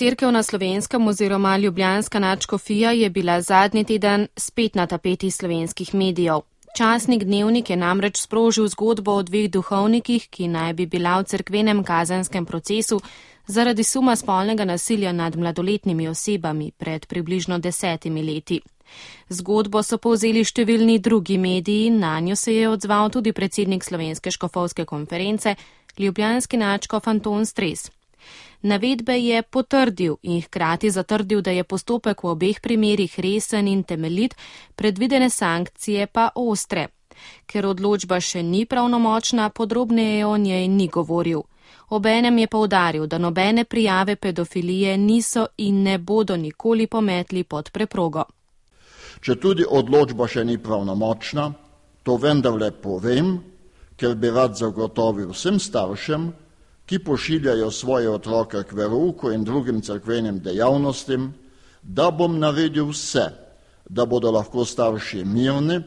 cerkev na Slovenskem oziroma ljubljanska nadškofija je bila zadnji teden spet na tapeti slovenskih medijev. Časnik Dnevnik je namreč sprožil zgodbo o dveh duhovnikih, ki naj bi bila v cerkvenem kazenskem procesu zaradi suma spolnega nasilja nad mladoletnimi osebami pred približno 10 leti. Zgodbo so povzeli številni drugi mediji, nanjo se je odzval tudi predsednik Slovenske škofovske konference, ljubljanski nadškof Anton Stres. Navedbe je potrdil in hkrati zatrdil, da je postopek v obeh primerih resen in temeljit, predvidene sankcije pa ostre. Ker odločba še ni pravnomočna, podrobneje o njej ni govoril. Obenem je poudaril, da nobene prijave pedofilije niso in ne bodo nikoli pometli pod preprogo. Če tudi odločba še ni pravnomočna, to vendarle povem, ker bi rad zagotovil vsem staršem, ki pošiljajo svoje otroke k verouku in drugim cerkvenim dejavnostim, da bom naredil vse, da bodo lahko starši mirni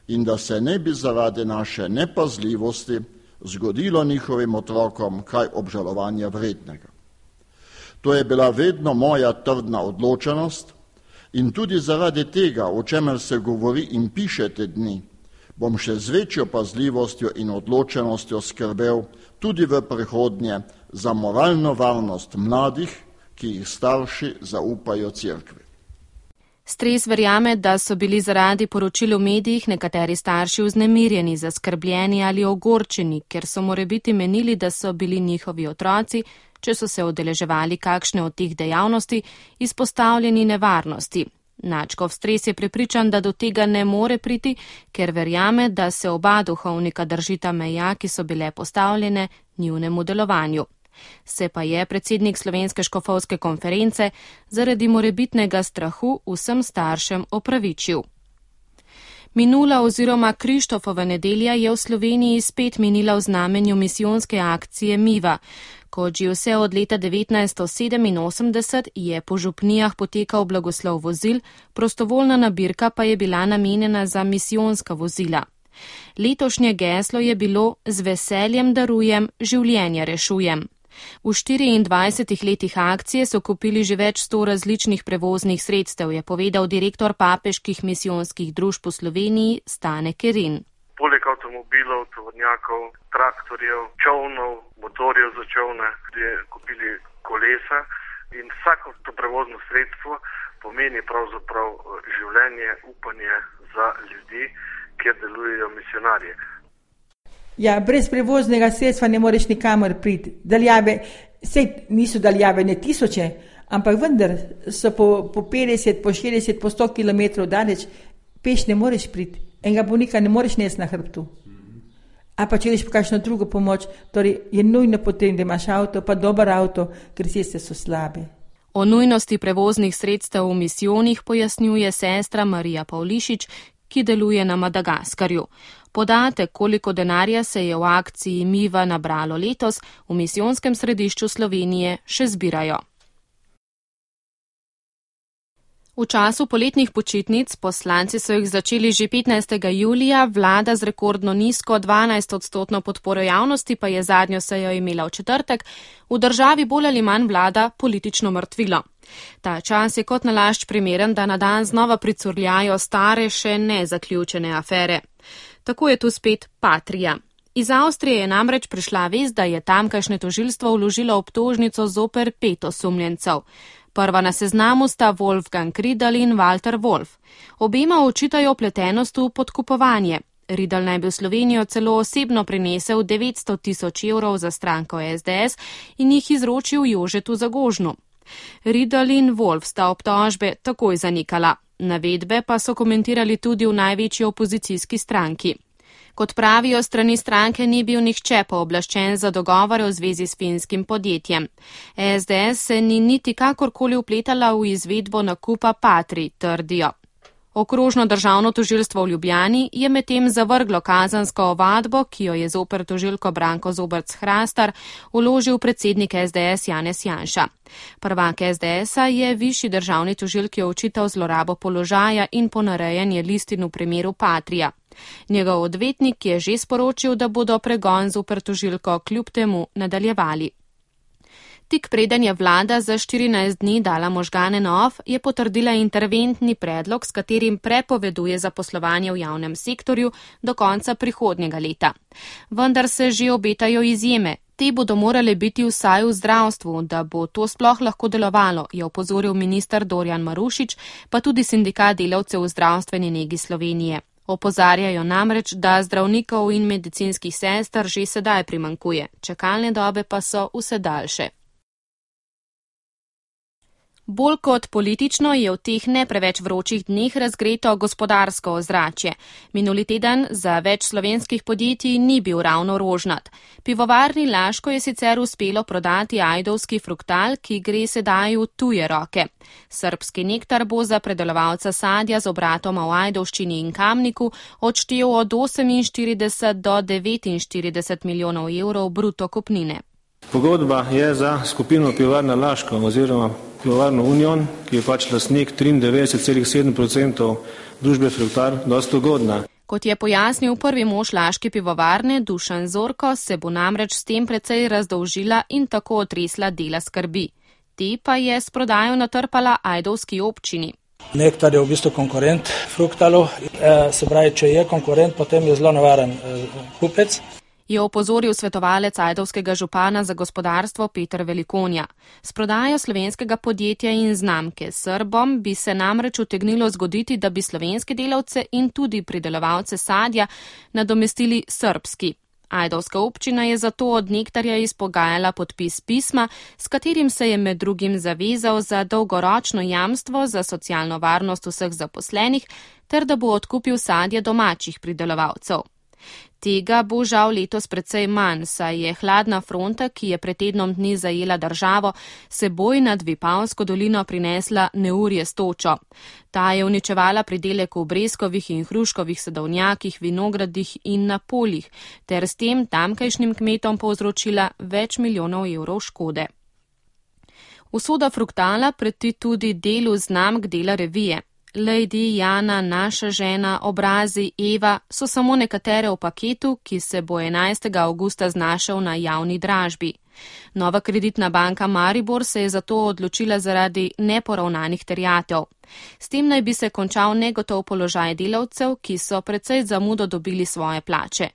in da se ne bi zaradi naše nepazljivosti zgodilo njihovim otrokom kaj obžalovanja vrednega. To je bila vedno moja trdna odločenost in tudi zaradi tega, o čemer se govori in piše te dni, bom še z večjo pazljivostjo in odločenostjo skrbel tudi v prihodnje za moralno varnost mladih, ki jih starši zaupajo cerkvi. Stres verjame, da so bili zaradi poročil v medijih nekateri starši vznemirjeni, zaskrbljeni ali ogorčeni, ker so morebiti menili, da so bili njihovi otroci, če so se udeleževali kakšne od teh dejavnosti, izpostavljeni nevarnosti. Nadškof Stres je prepričan, da do tega ne more priti, ker verjame, da se oba duhovnika držita meja, ki so bile postavljene njunemu delovanju. Se pa je predsednik Slovenske škofovske konference zaradi morebitnega strahu vsem staršem opravičil. Minula oziroma Krištofova nedelja je v Sloveniji spet minila v znamenju misijonske akcije Miva. Kot že vse od leta 1987 je po župnijah potekal blagoslov vozil, prostovoljna nabirka pa je bila namenjena za misijonska vozila. Letošnje geslo je bilo Z veseljem darujem, življenje rešujem. V 24 letih akcije so kupili že več 100 različnih prevoznih sredstev, je povedal direktor papeških misijonskih družb v Sloveniji Stane Kerin. Poleg avtomobilov, tovornjakov, traktorjev, čovnov, motorjev za čovne, je kupili kolesa in vsako to prevozno sredstvo pomeni pravzaprav življenje, upanje za ljudi, kjer delujejo misionarji. Ja, brez prevoznega sredstva ne moreš nikamor priti. Daljave, sej niso daljave ne tisoče, ampak vendar so po 50, po 40, po 100 kilometrov daleč, peš ne moreš priti. Enega bolnika ne moreš nesti na hrbtu. A pa če ideš po kakšno drugo pomoč, torej je nujno potem, da imaš avto, pa dober avto, ker ceste so slabe. O nujnosti prevoznih sredstev v misijonih pojasnjuje sestra Marija Pavlišič, ki deluje na Madagaskarju. Podatek, koliko denarja se je v akciji Miva nabralo letos, v misijonskem središču Slovenije še zbirajo. V času poletnih počitnic, poslanci so jih začeli že 15. julija, vlada z rekordno nizko 12% podporo javnosti pa je zadnjo sejo imela v četrtek, v državi bolj ali manj vlada politično mrtvilo. Ta čas je kot nalašč primeren, da na dan znova pricurljajo stare, še nezaključene afere. Tako je tu spet Patria. Iz Avstrije je namreč prišla vest, da je tamkajšnje tožilstvo vložilo obtožnico zoper 5 osumljencev. Prva na seznamu sta Wolfgang Riedl in Walter Wolf. Obema očitajo vpletenost v podkupovanje. Riedl naj bi v Slovenijo celo osebno prinesel 900 000 evrov za stranko SDS in jih izročil Jožetu Zagožnu. Riedl in Wolf sta obtožbe takoj zanikala. Navedbe pa so komentirali tudi v največji opozicijski stranki. Kot pravijo, strani stranke ni bil nihče pooblaščen za dogovore v zvezi s finskim podjetjem. SDS se ni niti kakorkoli vpletala v izvedbo nakupa Patri, trdijo. Okrožno državno tožilstvo v Ljubljani je medtem zavrglo kazensko ovadbo, ki jo je zoper tožilko Branko Zobrc-Hrastar vložil predsednik SDS Janez Janša. Prvak SDS-a je višji državni tožilki očital zlorabo položaja in ponarejanje listin v primeru Patrija. Njegov odvetnik je že sporočil, da bodo pregon zoper tožilko kljub temu nadaljevali. Tik preden je vlada za 14 dni dala možgane na off, je potrdila interventni predlog, s katerim prepoveduje zaposlovanje v javnem sektorju do konca prihodnjega leta. Vendar se že obetajo izjeme. Te bodo morale biti vsaj v zdravstvu, da bo to sploh lahko delovalo, je opozoril minister Dorjan Marušič, pa tudi sindikat delavcev v zdravstveni negi Slovenije. Opozarjajo namreč, da zdravnikov in medicinskih sester že sedaj primanjkuje, čakalne dobe pa so vse daljše. Bolj kot politično je v teh ne preveč vročih dneh razgreto gospodarsko ozračje. Minuli teden za več slovenskih podjetij ni bil ravno rožnat. Pivovarni Laško je sicer uspelo prodati ajdovski fruktal, ki gre sedaj v tuje roke. Srbski nektar bo za predelovalca sadja z obratoma v Ajdovščini in Kamniku odštel od 48 do 49 milijonov evrov bruto kupnine. Pogodba je za skupino Pivovarna Laško oziroma Pivovarno Union, ki je pač lastnik 93,7% družbe Fruktal, dosti ugodna. Kot je pojasnil prvi mož laške pivovarne Dušan Zorko, se bo namreč s tem precej razdolžila in tako otresla dela skrbi. Te pa je s prodajo natrpala ajdovski občini. Nektar je v bistvu konkurent Fruktalu, se pravi, če je konkurent, potem je zelo nevaren kupec. Je opozoril svetovalec ajdovskega župana za gospodarstvo Peter Velikonja. S prodajo slovenskega podjetja in znamke Srbom bi se namreč utegnilo zgoditi, da bi slovenske delavce in tudi pridelovalce sadja nadomestili srbski. Ajdovska občina je zato od nektarja izpogajala podpis pisma, s katerim se je med drugim zavezal za dolgoročno jamstvo za socialno varnost vseh zaposlenih ter da bo odkupil sadje domačih pridelovalcev. Tega bo žal letos precej manj, saj je hladna fronta, ki je pred tednom dni zajela državo, seboj nad Vipavsko dolino prinesla neurje s točo. Ta je uničevala pridelek v breskovih in hruškovih sadovnjakih, vinogradih in na poljih, ter s tem tamkajšnjim kmetom povzročila več milijonov evrov škode. Usoda Fruktala preti tudi delu znamk dela revije. Lady, Jana, Naša žena, Obrazi, Eva so samo nekatere v paketu, ki se bo 11. avgusta znašel na javni dražbi. Nova kreditna banka Maribor se je zato odločila zaradi neporavnanih terjatev. S tem naj bi se končal negotov položaj delavcev, ki so precej zamudo dobili svoje plače.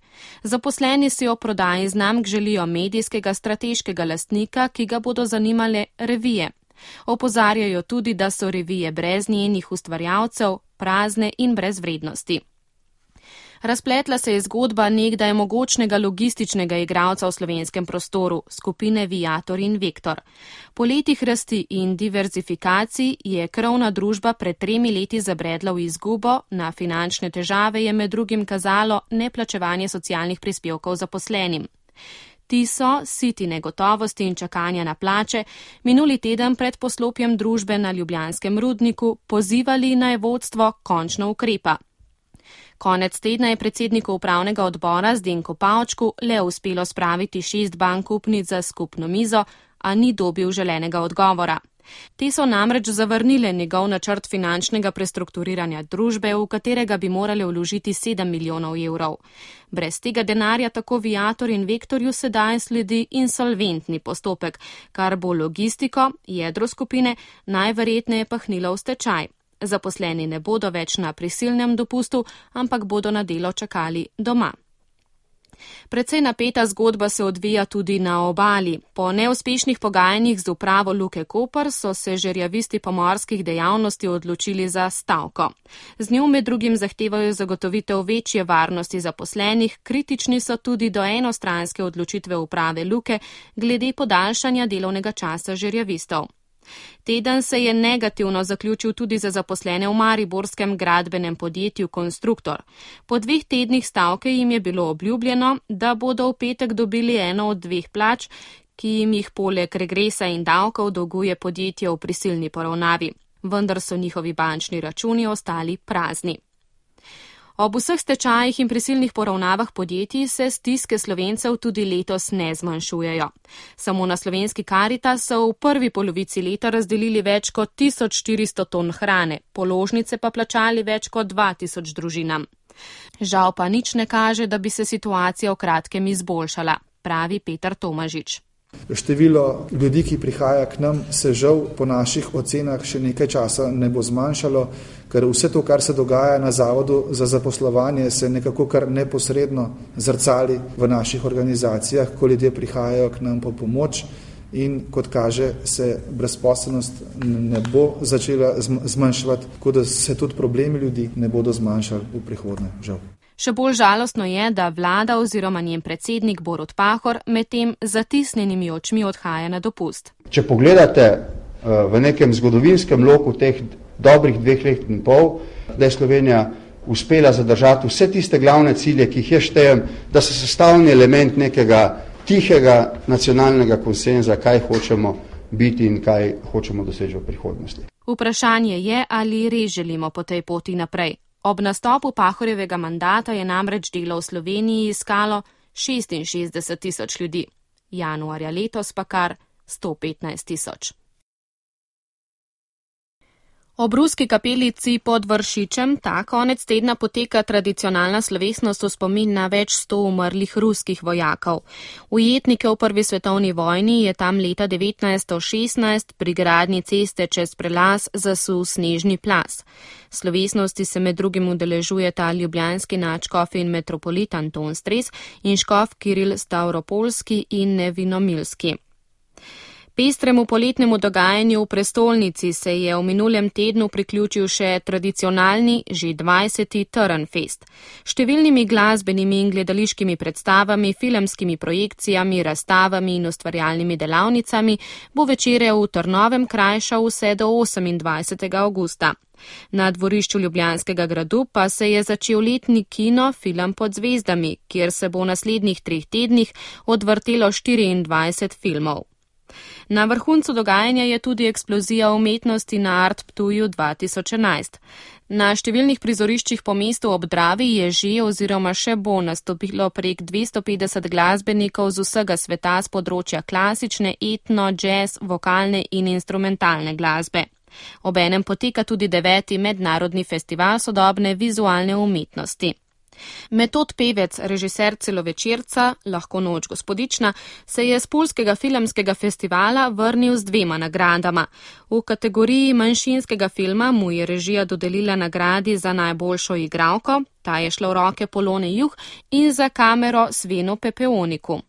Zaposleni si o prodaji znamk želijo medijskega strateškega lastnika, ki ga bodo zanimale revije. Opozarjajo tudi, da so revije brez njenih ustvarjalcev, prazne in brez vrednosti. Razpletla se je zgodba nekdaj mogočnega logističnega igralca v slovenskem prostoru, skupine Viator in Vektor. Po letih rasti in diverzifikacij je krovna družba pred 3 leti zabredla v izgubo, na finančne težave je med drugim kazalo neplačevanje socialnih prispevkov zaposlenim. Ti so, siti negotovosti in čakanja na plače, minuli teden pred poslopjem družbe na Ljubljanskem rudniku pozivali naj vodstvo končno ukrepa. Konec tedna je predsedniku upravnega odbora Zdenku Pavčku le uspelo spraviti 6 bank upnic za skupno mizo, a ni dobil želenega odgovora. Te so namreč zavrnile njegov načrt finančnega prestrukturiranja družbe, v katerega bi morali vložiti 7 milijonov evrov. Brez tega denarja tako Viator in Vektorju sedaj sledi insolventni postopek, kar bo logistiko, jedro skupine, najverjetneje pahnilo v stečaj. Zaposleni ne bodo več na prisilnem dopustu, ampak bodo na delo čakali doma. Precej napeta zgodba se odvija tudi na obali. Po neuspešnih pogajanjih z upravo Luke Koper so se žerjavisti pomorskih dejavnosti odločili za stavko. Z njo med drugim zahtevajo zagotovitev večje varnosti zaposlenih, kritični so tudi do enostranske odločitve uprave Luke glede podaljšanja delovnega časa žerjavistov. Teden se je negativno zaključil tudi za zaposlene v mariborskem gradbenem podjetju Konstruktor. Po 2 tednih stavke jim je bilo obljubljeno, da bodo v petek dobili eno od 2 plač, ki jim jih poleg regresa in davkov dolguje podjetje v prisilni poravnavi. Vendar so njihovi bančni računi ostali prazni. Ob vseh stečajih in prisilnih poravnavah podjetij se stiske Slovencev tudi letos ne zmanjšujejo. Samo na slovenski Karitas so v prvi polovici leta razdelili več kot 1400 ton hrane, položnice pa plačali več kot 2000 družinam. Žal pa nič ne kaže, da bi se situacija v kratkem izboljšala, pravi Peter Tomažič. Število ljudi, ki prihaja k nam, se žal po naših ocenah še nekaj časa ne bo zmanjšalo, ker vse to, kar se dogaja na Zavodu za zaposlovanje, se nekako kar neposredno zrcali v naših organizacijah, ko ljudje prihajajo k nam po pomoč in kot kaže, se brezposelnost ne bo začela zmanjševati, tako da se tudi problemi ljudi ne bodo zmanjšali v prihodnje, žal. Še bolj žalostno je, da vlada oziroma njen predsednik Borut Pahor medtem z zatisnjenimi očmi odhaja na dopust. Če pogledate v nekem zgodovinskem loku teh dobrih 2 let in pol, da je Slovenija uspela zadržati vse tiste glavne cilje, ki jih jaz štejem, da so sestavni element nekega tihega nacionalnega konsenza, kaj hočemo biti in kaj hočemo doseči v prihodnosti. Vprašanje je, ali res želimo po tej poti naprej. Ob nastopu Pahorjevega mandata je namreč delo v Sloveniji iskalo 66 000 ljudi, januarja letos pa kar 115 000. Ob ruski kapelici pod Vršičem ta konec tedna poteka tradicionalna slovesnost v spomin na več 100 umrlih ruskih vojakov. Ujetnike v Prvi svetovni vojni je tam leta 1916 pri gradnji ceste čez prelaz zasul snežni plaz. Slovesnosti se med drugim udeležujeta ljubljanski nadškof in metropolit Anton Stres in škof Kiril Stavropolski in Nevinomilski. Pestremu poletnemu dogajanju v prestolnici se je v minulem tednu priključil še tradicionalni, že 20. Trnfest. Številnimi glasbenimi in gledališkimi predstavami, filmskimi projekcijami, razstavami in ustvarjalnimi delavnicami bo večere v Trnovem krajšal vse do 28. avgusta. Na dvorišču Ljubljanskega gradu pa se je začel letni kino Film pod zvezdami, kjer se bo v naslednjih 3 tednih odvrtelo 24 filmov. Na vrhuncu dogajanja je tudi eksplozija umetnosti na Art Ptuju 2011. Na številnih prizoriščih po mestu ob Dravi je že oziroma še bo nastopilo prek 250 glasbenikov z vsega sveta z področja klasične, etno, jazz, vokalne in instrumentalne glasbe. Obenem poteka tudi 9. mednarodni festival sodobne vizualne umetnosti. Metod Pevec, režiser celovečerca Lahko noč gospodična, se je z Poljskega filmskega festivala vrnil z 2 nagradama. V kategoriji manjšinskega filma mu je režija dodelila nagradi za najboljšo igralko, ta je šla v roke Polone Juh, in za kamero Svenu Pepeoniku.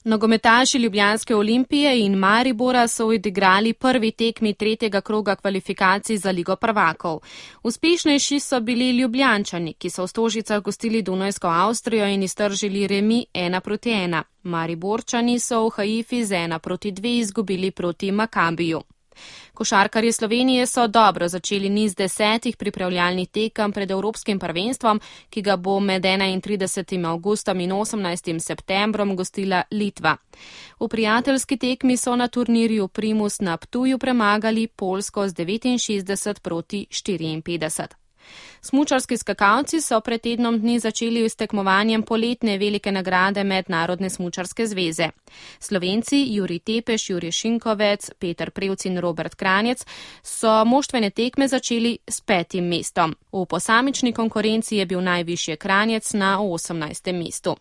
Nogometaši Ljubljanske Olimpije in Maribora so odigrali prvi tekmi 3. kroga kvalifikacij za Ligo prvakov. Uspešnejši so bili Ljubljančani, ki so v Stožicah gostili Dunajsko Avstrijo in iztržili remi 1-1. Mariborčani so v Haifi z 1-2 izgubili proti Makabiju. Košarkarji Slovenije so dobro začeli niz 10 pripravljalnih tekem pred Evropskim prvenstvom, ki ga bo med 31. avgustom in 18. septembrom gostila Litva. V prijateljski tekmi so na turnirju Primus na Ptuju premagali Poljsko z 69-54. Smučarski skakalci so pred tednom dni začeli s tekmovanjem poletne velike nagrade Mednarodne smučarske zveze. Slovenci Jurij Tepeš, Jurij Šinkovec, Peter Prevc in Robert Kranjec so moštvene tekme začeli s 5. mestom. V posamični konkurenci je bil najvišje Kranjec na 18. mestu.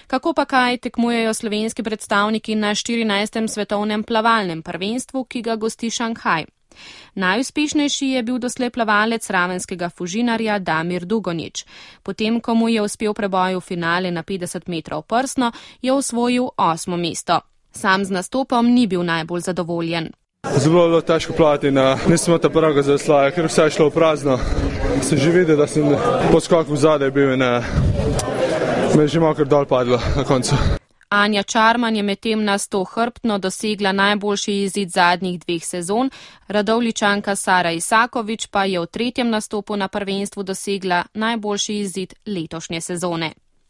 Kako pa kaj tekmujejo slovenski predstavniki na 14. svetovnem plavalnem prvenstvu, ki ga gosti Šanghaj? Najuspešnejši je bil doslej plavalec ravenskega Fužinarja Damir Dugonjić. Potem, ko mu je uspel preboj v finale na 50 metrov prsno, je osvojil 8. mesto. Sam z nastopom ni bil najbolj zadovoljen. Zelo bilo težko plavati, nisem imel ta prvega zaslaja, ker vse je šlo v prazno. Sem že videl, da sem poskok v zadaj bil in me je že malo kar dol padlo na koncu. Anja Čarman je medtem na 100 hrbtno dosegla najboljši izid zadnjih 2 sezon, Radovljičanka Sara Isaković pa je v 3. nastopu na prvenstvu dosegla najboljši izid letošnje sezone.